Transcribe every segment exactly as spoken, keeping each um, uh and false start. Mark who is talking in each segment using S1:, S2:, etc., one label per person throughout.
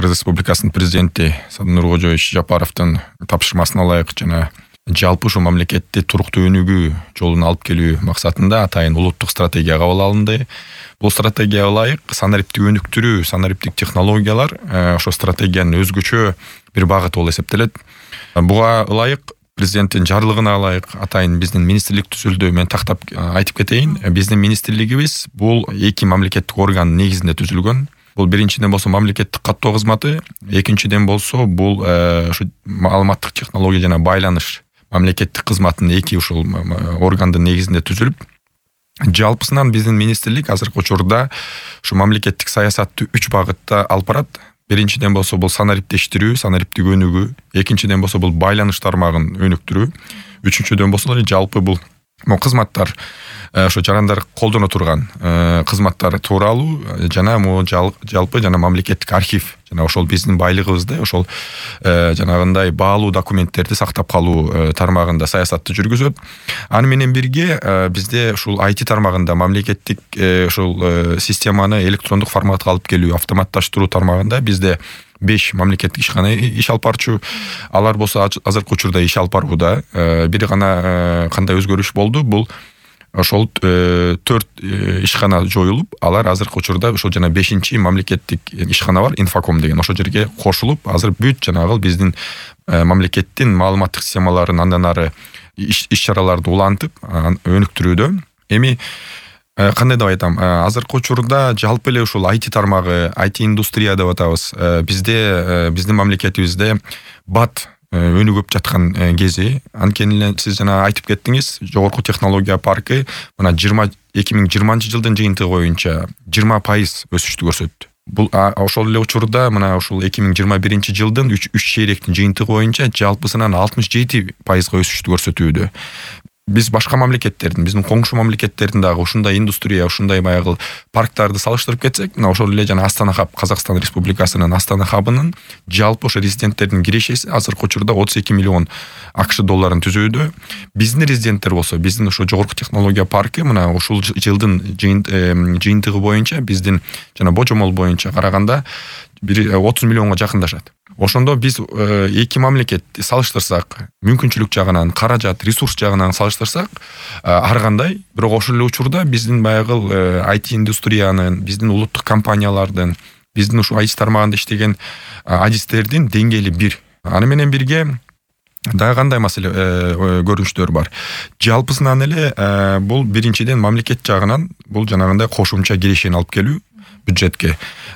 S1: Кыргыз Республикасынын президенти Садыр Нуркожоевич Жапаровдун тапшырмасына ылайык жана жалпы ушу мамлекетти туруктуу өнүгүү жолуна алып келүү максатында атайын улуттук стратегия кабыл алынды. Бул стратегияга ылайык санариптик өнүктүрүү, санариптик технологиялар ошо стратегиянын өзгөчө бир багыты болуп эсептелет. Буга ылайык президенттин жарлыгына ылайык атайын биздин министрлик түзүлдү. Мен тактап айтып кетейин. Биздин министрлигибиз бул эки мамлекеттик органдын негизинде түзүлгөн. Бул биринчиден болсо мамлекеттик каттоо кызматы, экинчиден болсо бул ушу маалыматтык технология жана байланыш мамлекеттик кызматынын эки ушул органдын негизинде түзүлүп, жалпысынан биздин министрлик азыркы учурда ушу мамлекеттик саясатты үч багытта алып барат. Биринчиден болсо бул санариптештирүү, санариптик өнүгүү, экинчиден болсо бул байланыш тармагын өнүктүрүү, үчүнчүдөн болсо жалпы бул могу кызматтар ошо жарандар колдоно турган кызматтар тууралуу жана могу жалпы жана мамлекеттик архив жана ошол биздин байлыгыбызды ошол жанагындай баалуу документтерди сактап калуу тармагында саясатты жүргүзөт. Аны менен бирге бизде ушул ай ти тармагында мамлекеттик ушул системаны электрондук форматка алып келүү, автоматташтыруу тармагында бизде беш мамлекеттик ишкана иш алып барчу. Алар болсо азыркы учурда иш алып барууда. Бир гана кандай өзгөрүш болду? Бул ошол төрт ишкана жоюлуп, алар азыркы учурда ошол жана бешинчи мамлекеттик ишкана бар, Инфоком деген. Ошол жерге кошулуп, азыр бүт жанагы биздин мамлекеттин маалыматтык системаларын андан ары иш-чараларды улантып, өнүктүрүүдө. Эми кандай деп айтам, азыркы учурда жалпы эле ушул ай ти тармагы, ай ти индустрия деп атабыз. Бизде биздин мамлекетибизде бат өнүгүп жаткан кези. Анткени эле сиз жана айтып кеттиңиз, жогорку технология паркы мына эки миң жыйырманчы жылдын жыйынтыгы боюнча жыйырма пайыз өсүштү көрсөттү. Бул ошол эле учурда мына ушул эки миң жыйырма биринчи жылдын үч чейректин жыйынтыгы боюнча жалпысынан алтымыш жети пайызга өсүштү көрсөтүүдө. Биз башка мамлекеттердин, биздин коңшу мамлекеттердин дагы ушундай индустрия, ушундай баягы парктарды салыштырып кетсек, мына ошол эле жана Астана хаб, Казакстан Республикасынын Астана хабынын жалпы ошо резиденттердин кирешеси азыркы учурда отуз эки миллион АКШ долларын түзүүдө. Биздин резиденттер болсо, биздин ошо жогорку технология паркы мына ушул жылдын жыйынтыгы боюнча биздин жана божомол боюнча караганда отуз миллионго жакындашат. Ошондо биз эки мамлекет салыштырсак, мүмкүнчүлүк жагынан, каражат, ресурс жагынан салыштырсак, ар кандай, бирок ошол эле учурда биздин баягы ай ти индустриянын, биздин улуттук компаниялардын, биздин ушу ай ти тармагында иштеген адистердин деңгээли бир. Аны менен бирге дагы кандай маселе көрүнүштөр бар. Жалпысынан эле бул биринчиден мамлекет жагынан бул жанагындай кошумча кирешени алып келүү бюджетке.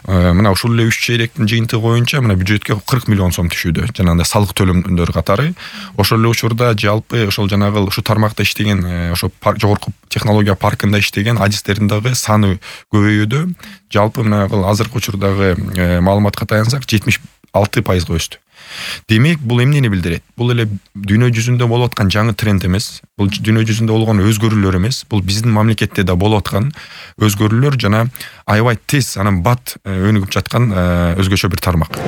S1: Мына ушул эле үч чейректин жыйынтыгы боюнча мына бюджетке кырк миллион сом түшүүдө, жанагындай салык төлөмдөр катары. Ошол эле учурда жалпы ошол жанагы ушу тармакта иштеген, ошо жогорку технология паркында иштеген адистердин дагы саны көбөйүүдө. Жалпы мына азыркы учурдагы маалыматка таянсак жетимиш алты пайызга өстү. Демек, бул эмнени билдирет? Бул эле дүйнө жүзүндө болуп аткан жаңы тренд эмес. Бул дүйнө жүзүндө болгон өзгөрүүлөр эмес. Бул биздин мамлекетте да болуп аткан өзгөрүүлөр жана аябай тез анан бат өнүгүп жаткан өзгөчө бир тармак.